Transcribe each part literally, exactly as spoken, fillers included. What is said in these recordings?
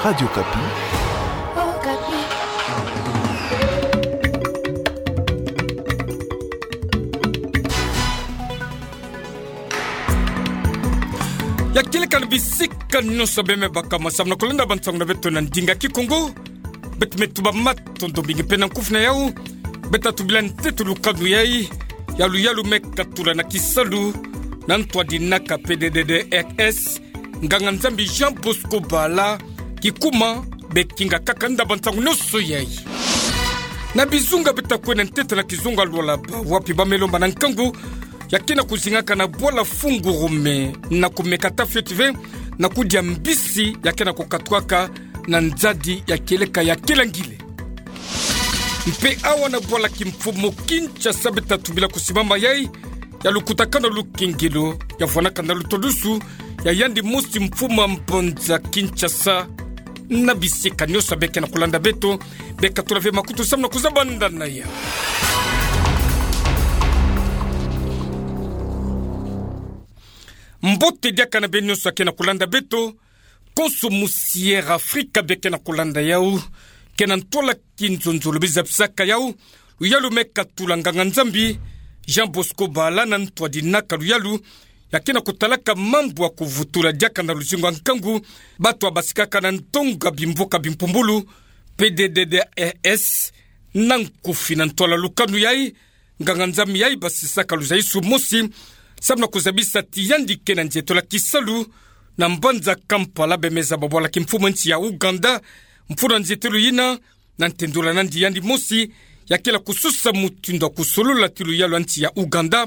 Radio Okapi. Ya kieleka na bisika nyonso beme baka masamu na kolanda bansangu na beto na ndinga Kikongo. Beto me tuba matondo mingi pe na nkufi na yau. Beto tubila ntete lukanu yai ya luyalu me katula na kisalu na ntu a dinaka P D D D R S, nganga-Nzambi Jean Bosco Bala, kikuma be kinga kakanda bansangu nyonso yai. Na bizunga beto kwenda ntete na kizunga Lualaba, wapi ba me lomba na nkangu ya kena kuzingaka na bwala Fungurume na kumeka tafioti ve na kudia mbisi ya kena kukatukaka na nzadi ya kieleka ya Kilangile. Mpe awa na bwala kimfumu Kinshasa beto tubila kusimama yai ya lukutakanu lukengelo ya vwanaka na lutodusu ya yandi mosi mfumu a mbanza Kinshasa. Na bisika nyonso be kena kolanda beto, be katula ve makutu samu na kuzabanda na yau. Mbote diaka na beno nyonso kena kolanda beto. Konso musi Air Afrika be kena kolanda yau, kena ntwala kinzonzolo be zabisaka yau luyalu me katula nganga-Nzambi Jean Bosco Bala na ntu a dinaka luyalu ya kena kutalaka mambu ya kuvutula diaka na luzingu a nkangu batu babasikaka na ntonga bimvuka bimpumbulu, P D D D R S. Na nkufi, na ntwala lukanu yai, nganga-Nzambi yai basisaka luzaisu mosi samu na kuzabisa ti yandi kena nzietolo ya kisalu na mbanza Kampala, be me zaba bwala kimfumu a nsi ya Ouganda, mfunu a nzietolo yina, na ntendula nandi yandi mosi ya kela kususa mutindu ya kusolola ti luyalu a nsi ya Ouganda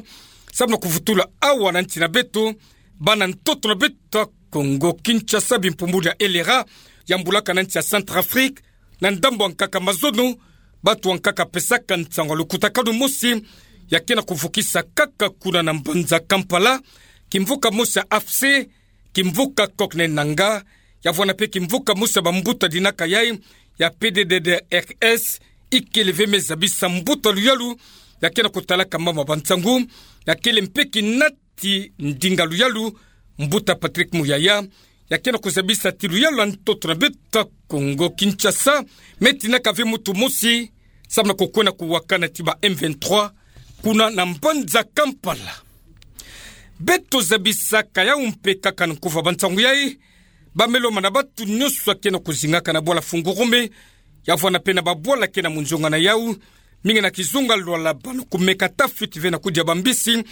samu na kuvutula awa na nsi na beto, bana ntoto na beto a Kongo Kinshasa, bimpumbulu ya L R A, yambulaka na nsi ya Centrafrique, na ndambu ya nkaka mazono, batu ya nkaka pesaka nsangu ya lukutakanu mosi ya kena kuvukisa kaka kuna na mbanza Kampala, kimvuka mosi ya A F C, kimvuka Corneille Nangaa, ya vwana mpe kimvuka mosi ya bambuta dinaka yai ya P D D D R S, ikele ve me zabisa mbuta luyalu ya kena kutalaka mama bansangu, ya kele mpe kinati ndinga luyalu, mbuta Patrick Muyaya, ya kena kuzabisa ti luyalu a ntoto na beto a Kongo Kinshasa me tinaka ve mutu mosi samu na kukwenda kuwakana ti ba M vingt-trois kuna na mbanza Kampala. Beto zabisaka yau mpe kaka na nkufi a bansangu yai, ba me lomba na batu nyonso kena kuzingaka na bwala Fungurume, ya vwana mpe na babwala kena munzonga na yau, mingi na kizunga Lualaba, na kumeka tafioti ve na kudia bambisi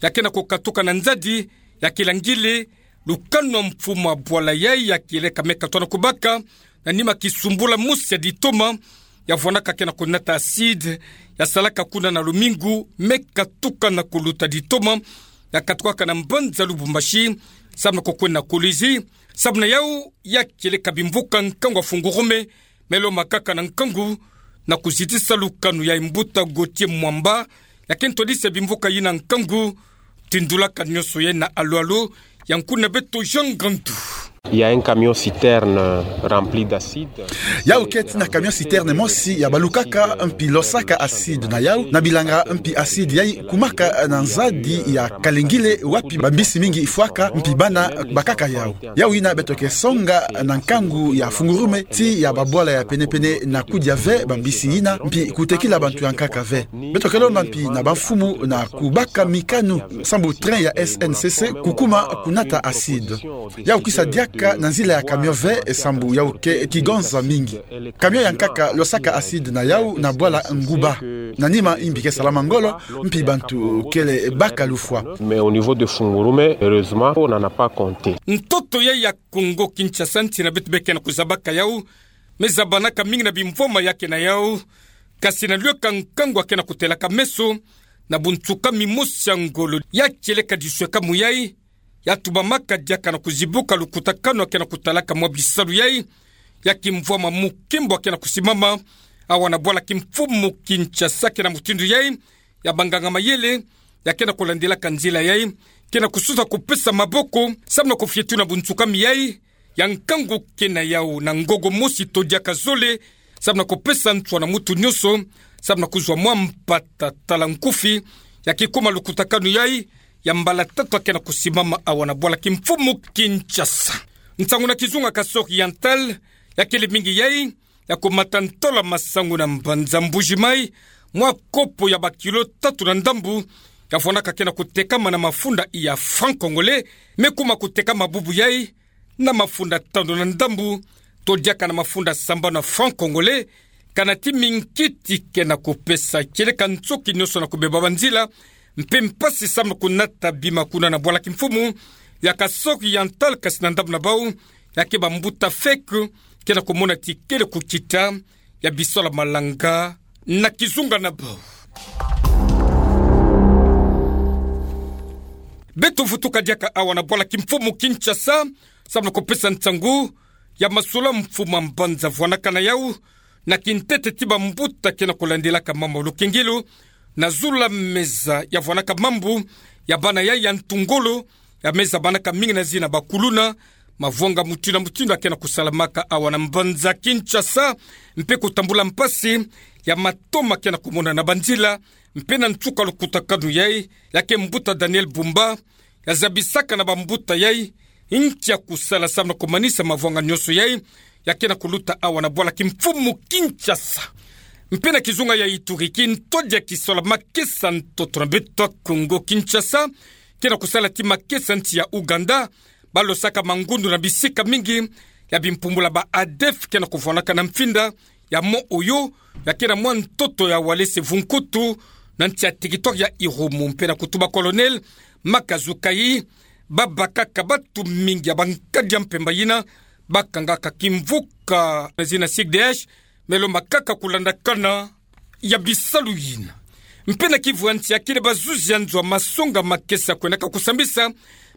ya kena kukatuka na nzadi ya Kilangile, lukanu a mfumu a bwala yai ya kieleka me katula na kubaka na nima kisumbula mosi ya ditoma, ya vwanaka kena kunata acide, ya salaka kuna na lumingu, me katuka na kuluta ditoma, ya katukaka na mbanza Lubumbashi, samu na kukwenda na Kolwezi, samu na yau ya kieleka bimvuka nkangu a Fungurume, me lomba kaka na nkangu na kuzitisa lukanu yai, mbuta Gauthier Mwamba, ya kento disa bimvuka yina nkangu, tindulaka nyonso yai na alo-alo, ya nkuna beto Jean Ngandu. Il y a un camion citerne rempli d'acide. Yau keti na camion citerne mosi ya balukaka mpi losaka acide na yau, na bilanga mpi acide yai kumaka na nzadi ya Kalengile wapi bambisi mingi fwaka mpi bana bakaka yau. Yau yina beto ke songa na nkangu ya Fungurume, ti ya babwala ya pene-pene na kudia ve bambisi yina, mpi kutekila bantu ya nkaka ve. Beto ke lomba mpi na bamfumu na kubaka mikanu sambu train ya S N C C kukuma kunata acide. Yau kisa diaka na nzila ya camion ve, sambu yau ke kigonza mingi. Camion ya nkaka losaka acide na yau na bwala Nguba. Na nima imbi ke salama ngolo, mpi bantu kele baka lufwa. Mais au niveau de Fungurume, heureusement, on n'en a pas compté. Ntoto yai ya Kongo Kinshasa, nsi na beto be kena kuzabaka yau, me zabanaka mingi na bimvwama ya ke na yau, kasi na luyaka nkangu ya kena kutelaka meso na bunsukami mosi ya ngolo ya kieleka diswekamu yai, ya tubamaka diaka na kuzibuka lukutakanu ya kena kutalaka mwa bisalu yai, ya kimvwama mukimbu ya kena kusimama awa na bwala kimfumu Kinshasa. Kena mutindu yai, ya banganga-mayele ya kena kulandelaka nzila yai, kena kususa kupesa maboko samu na kufietula bunsukami yai, ya nkangu ke na yau na ngogo mosi to diaka zole, samu na kupesa nswa na mutu nyonso, samu na kuzwa mwa mpata tala nkufi ya kikuma lukutakanu yai, ya mbala tatu ya kena kusimama awa na bwala kimfumu Kinshasa. Nsangu na kizunga Kasai Oriental, Ya kele mingi yai, ya kumata ntola masangu na mbanza Mbuji-Mayi, mwa kopo ya bakilo tatu na ndambu, ya vwanaka ke na kutekama na mafunda ya franc congolais, me kuma kutekama bubu yai, na mafunda tanu na ndambu, to diaka na mafunda sambanu ya franc congolais, kana ti minkiti ke na kupesa kieleka nsoki nyonso na kubeba banzila, mpe mpasi samu na kunata bima kuna na bwala kimfumu ya Kasaï Oriental, kasi na ndambu na bau, ya ke bambuta feke, ke na kumona ti kele kukita ya bisola malanga na kizunga na bau. Beto vutuka diaka awa na bwala kimfumu Kinshasa, samu na kupesa nsangu ya masolo mfumu a mbanza vwanaka na yau, na kintete ti bambuta ke na kulandilaka mambu ya lukengilu, na zulu ya meza ya vwanaka mambu ya bana yai ya ntu ngolo, ya meza banaka mingi na zina bakuluna, mavwanga mutindu na mutindu ya ke na kusalamaka awa na mbanza Kinshasa, mpe kutambula mpasi ya matoma ke na kumona na banzila, mpe na nsuka lukutakanu yai, ya ke mbuta Daniel Bumba, ya zabisaka na bambuta yai nki ya kusala samu na kumanisa mavwanga nyonso yai, ya ke na kuluta awa na bwala kimfumu Kinshasa. Mpe na kizunga ya Ituri, kintwadi ya kisola makesa ntoto na beto ya Kongo Kinshasa, ke na kusala ti makesa nsi ya Ouganda, balosaka mangundu na bisika mingi, ya bimpumbula ba ADF ke na kuvwanaka na mfinda ya mont Oyo, ya ke na mwa ntoto ya Walese Vunkutu, na nsi ya territoire ya Irumu, mpe na kutuba Colonel Makazukayi, babakaka batu mingi ya bankadi ya mpemba yina bakangaka kimvuka na zina C D H, me lombakaka kulandakana ya bisalu yina. Mpe na Kivu ya nsi, ya kele bazuzi ya nzo ya masonga makesa kwendaka kusambisa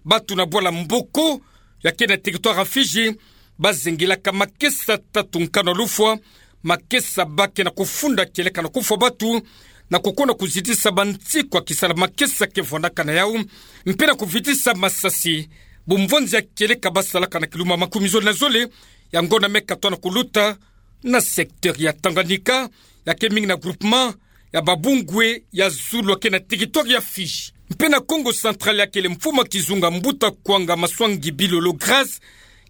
batu na bwala Mboko, ya ke na territoire ya Fidji, bazengilaka makesa tatu nkanu ya lufwa, makesa ba ke na kufunda kieleka na kufwa batu, na kukonda kuzitisa bansiku ya kisola makesa ke vwanaka na yau, mpe na kuvitisa masasi bumvonzi ya kieleka basalaka na kiluma makumi zole na zole ya ngonda me katwa na kuluta, na secteur ya Tanganyika, ya ke mingi na groupement ya Babungwe ya zulu ya ke na territoire ya Fidji. Mpe na Kongo Central, ya kele mfumu a kizunga mbuta Kwanga Maswangi Bilolo Grâce,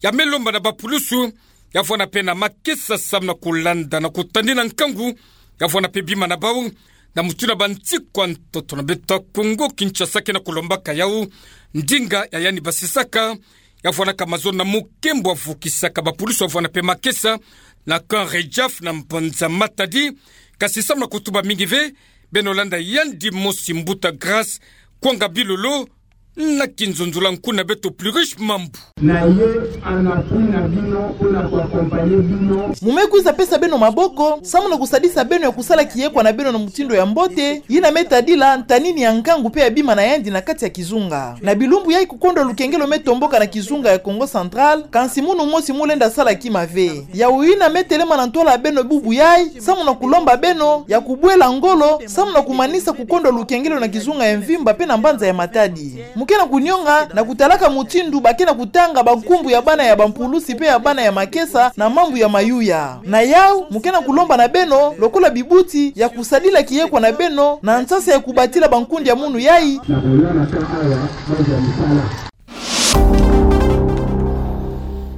ya me lomba na bapulusu ya vwana mpe na makesa samu na kulanda na kutadila nkangu ya vwana mpe bima na bau, na mutindu ya bansiku ya ntoto na beto ya Kongo Kinshasa ke na kulombaka yau, ndinga ya yandi basisaka, ya vwanaka mazono na mukembo ya vukisaka bapulusu ya vwana mpe makesa na camp Redjaf na mbanza Matadi, kasi samu na kutuba mingi ve, beno landa yandi mosi mbuta Grâce Kwanga Bilolo, na kinzonzolo nkuna beto Pluriche Mambu. Na ye ana puna bino, pona ku accompagner bino. Mu me kwiza pesa beno maboko, samu na kusadisa beno ya kusala kiyekwa na beno na mutindu ya mbote, yina me tadila ntanini ya nkangu mpe ya bima na yandi na kati ya kizunga. Na bilumbu yai kukondwa lukengelo me tomboka na kizunga ya Kongo Central, kansi munu mosi mu lenda sala kima ve. Yau yina me telema na ntwala ya beno bubu yai, samu na kulomba beno ya kubwela ngolo, samu na kumanisa kukondwa lukengelo na kizunga ya mvimba mpe na mbanza ya Matadi. Mu ke na kunionga na kutalaka mutindu ba ke na kutanga bankumbu ya bana ya bampulusi mpe ya bana ya makesa na mambu ya mayuya. Na yau, mu ke na kulomba na beno, lokola bibuti, ya kusadila kiyekwa na beno, na nsasa ya kubatila bankundi ya munu yai. Na kolala ka awa, banza misala.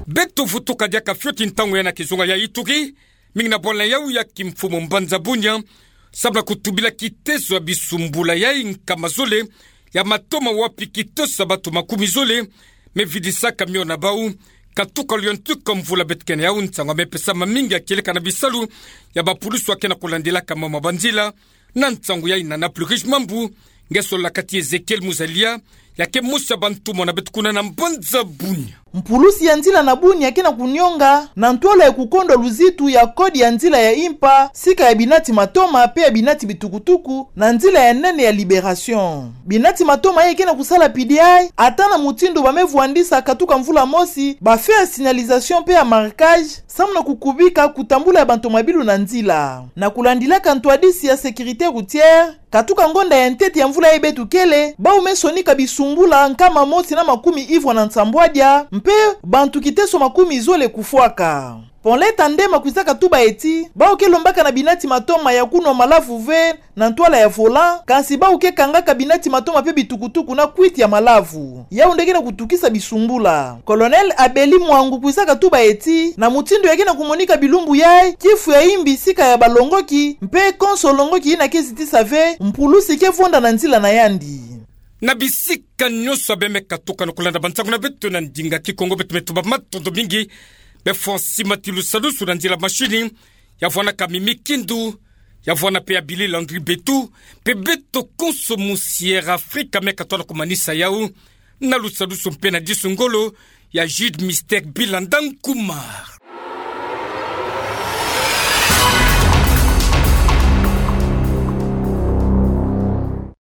Beto vutuka diaka fioti ntangu yai na kizunga ya Ituri, mingi na bwala yau ya kimfumu mbanza Bunia, samu na kutubila kiteso ya bisumbula yai nkama zole ya matoma, wapi kiteso ya batu makumi zole me vidisaka mio na bau, katuka luyontuka mvula beto ke na yau. Nsangu ya me pesama mingi ya kieleka na bisalu ya bapulusu ya ke na kulandilaka mama banzila, na nsangu yai na na Pluriche Mambu, nge sololaka ti Ezekiel Muzalia, ya ke mosi ya bantumwa na beto kuna na mbanza Bunia. Mpulusi ya nzila na Bunia ke na kunionga na ntwala ya kukondwa luzitu ya code ya nzila ya impa, sika ya binati matoma mpe ya binati bitukutuku, na nzila ya nene ya Libération. Binati matoma yai ke na kusala pidi yai, ata na mutindu ba me vwandisa katuka mvula mosi ba feux ya signalisation mpe ya marquage, samu na kukubika kutambula ya bantomabilu na nzila. Na kulandilaka ntwadisi ya sécurité routière, katuka ngonda ya ntete ya mvula yai beto kele, bau me sonika bisumbula nkama mosi na makumi ivwa na nsambwadia, mpe bantu kiteso makumi zole kufwaka. Paulette Andema kwisaka tuba eti, bau ke lombaka na binati matoma ya kunwa malavu ve na ntwala ya volant, kansi bau ke kangaka binati matoma pe bitukutuku na kwiti ya malavu. Yau nde ke na kutukisa bisumbula. Colonel Abeli Mwangu kwisaka tuba eti, na mutindu ya ke na kumonika bilumbu yai, kifu ya imbi sika ya balongoki, mpe konso longoki yina ke zitisa ve, mpulusi ke vonda na nzila na yandi. Na bisika nyonso ya bemeka tukana kulanda bansangu na beto na ndinga Kikongo, beto me tuba matondo mingi. Be Francis Matilu Salusu na nzila mashini, ya vwana Kami Mikindu, ya vwana pe ya Billy Landry Betu, mpe beto konso mu Sierra Africa meka tona kumanisa yau, na lusalusu mpe na disu ngolo ya Jude Mister Bilanda Nkumar.